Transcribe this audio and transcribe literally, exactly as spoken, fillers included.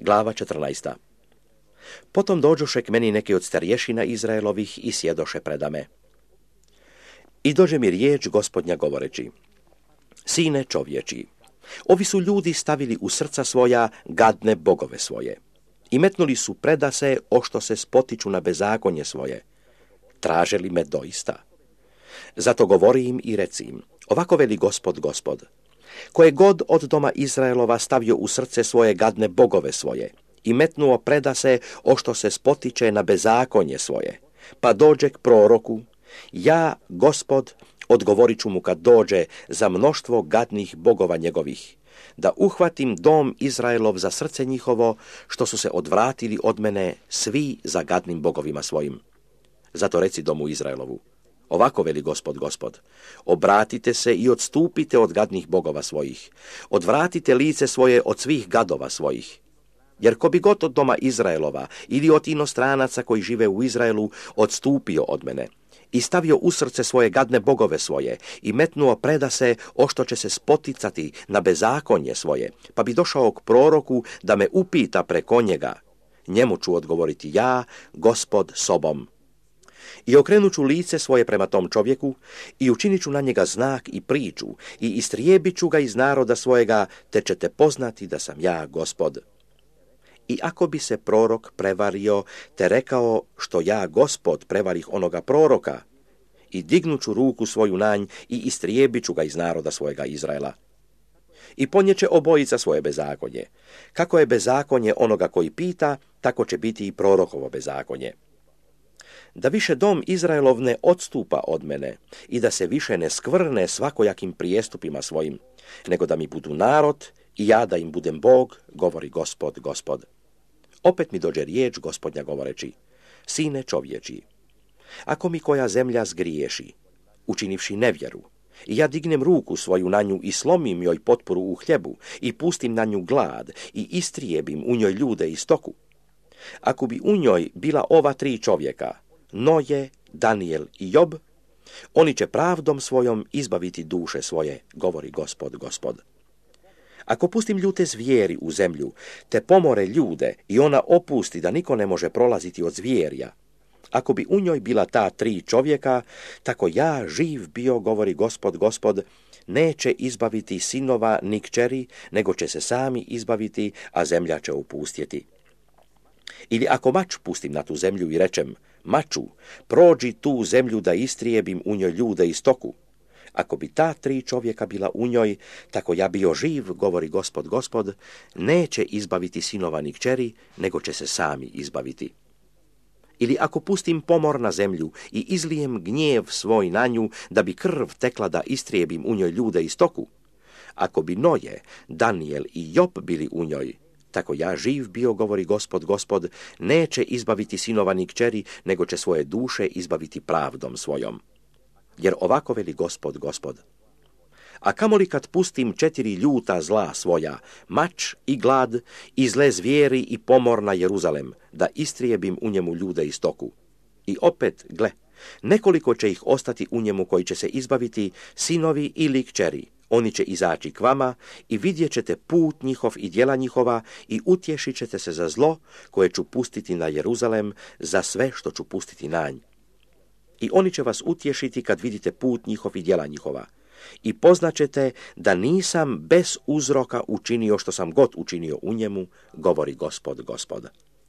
Glava četrnaesta. Potom dođoše k meni neki od starješina Izraelovih i sjedoše predame. I dođe mi riječ Gospodnja govoreći: Sine čovječi, ovi su ljudi stavili u srca svoja gadne bogove svoje i metnuli su predase ošto se spotiču na bezakonje svoje. Traže li me doista? Zato govori im i reci im: ovako veli Gospod, Gospod, koje god od doma Izraelova stavio u srce svoje gadne bogove svoje i metnuo predase ošto se spotiče na bezakonje svoje, pa dođe k proroku, ja, Gospod, odgovorit ću mu kad dođe za mnoštvo gadnih bogova njegovih, da uhvatim dom Izraelov za srce njihovo, što su se odvratili od mene svi za gadnim bogovima svojim. Zato reci domu Izraelovu: ovako veli Gospod, Gospod, obratite se i odstupite od gadnih bogova svojih, odvratite lice svoje od svih gadova svojih. Jer ko bi god od doma Izraelova ili od inostranaca koji žive u Izraelu odstupio od mene i stavio u srce svoje gadne bogove svoje i metnuo predase ošto će se spoticati na bezakonje svoje, pa bi došao k proroku da me upita preko njega, njemu ću odgovoriti ja, Gospod, sobom. I okrenut ću lice svoje prema tom čovjeku i učinit ću na njega znak i priču i istrijebit ću ga iz naroda svojega, te ćete poznati da sam ja Gospod. I ako bi se prorok prevario te rekao što ja, Gospod, prevarih onoga proroka, i dignuću ruku svoju na nj i istrijebit ću ga iz naroda svojega Izraela. I ponjeće obojica svoje bezakonje. Kako je bezakonje onoga koji pita, tako će biti i prorokovo bezakonje. Da više dom Izraelov ne odstupa od mene i da se više ne skvrne svakojakim prijestupima svojim, nego da mi budu narod i ja da im budem Bog, govori Gospod, Gospod. Opet mi dođe riječ Gospodnja govoreći: sine čovječi, ako mi koja zemlja zgriješi, učinivši nevjeru, i ja dignem ruku svoju na nju i slomim joj potporu u hljebu i pustim na nju glad i istrijebim u njoj ljude i stoku, ako bi u njoj bila ova tri čovjeka, Noje, Danijel i Job, oni će pravdom svojom izbaviti duše svoje, govori Gospod, Gospod. Ako pustim ljute zvijeri u zemlju, te pomore ljude i ona opusti da niko ne može prolaziti od zvijerja, ako bi u njoj bila ta tri čovjeka, tako ja živ bio, govori Gospod, Gospod, neće izbaviti sinova ni kćeri, nego će se sami izbaviti, a zemlja će opustjeti. Ili ako mač pustim na tu zemlju i rečem: maču, prođi tu zemlju da istrijebim u njoj ljude i stoku, ako bi ta tri čovjeka bila u njoj, tako ja bio živ, govori Gospod, Gospod, neće izbaviti sinova ni kćeri, nego će se sami izbaviti. Ili ako pustim pomor na zemlju i izlijem gnjev svoj na nju, da bi krv tekla da istrijebim u njoj ljude i stoku, ako bi Noje, Danijel i Job bili u njoj, tako ja živ bio, govori Gospod, Gospod, neće izbaviti sinova ni kćeri, nego će svoje duše izbaviti pravdom svojom. Jer ovako veli Gospod, Gospod: a kamoli kad pustim četiri ljuta zla svoja, mač i glad, i zle zvijeri i pomor na Jeruzalem, da istrijebim u njemu ljude i stoku. I opet, gle, nekoliko će ih ostati u njemu koji će se izbaviti, sinovi ili kćeri. Oni će izaći k vama i vidjet ćete put njihov i djela njihova i utješit ćete se za zlo koje ću pustiti na Jeruzalem, za sve što ću pustiti na nj. I oni će vas utješiti kad vidite put njihov i djela njihova. I poznaćete da nisam bez uzroka učinio što sam god učinio u njemu, govori Gospod, Gospod.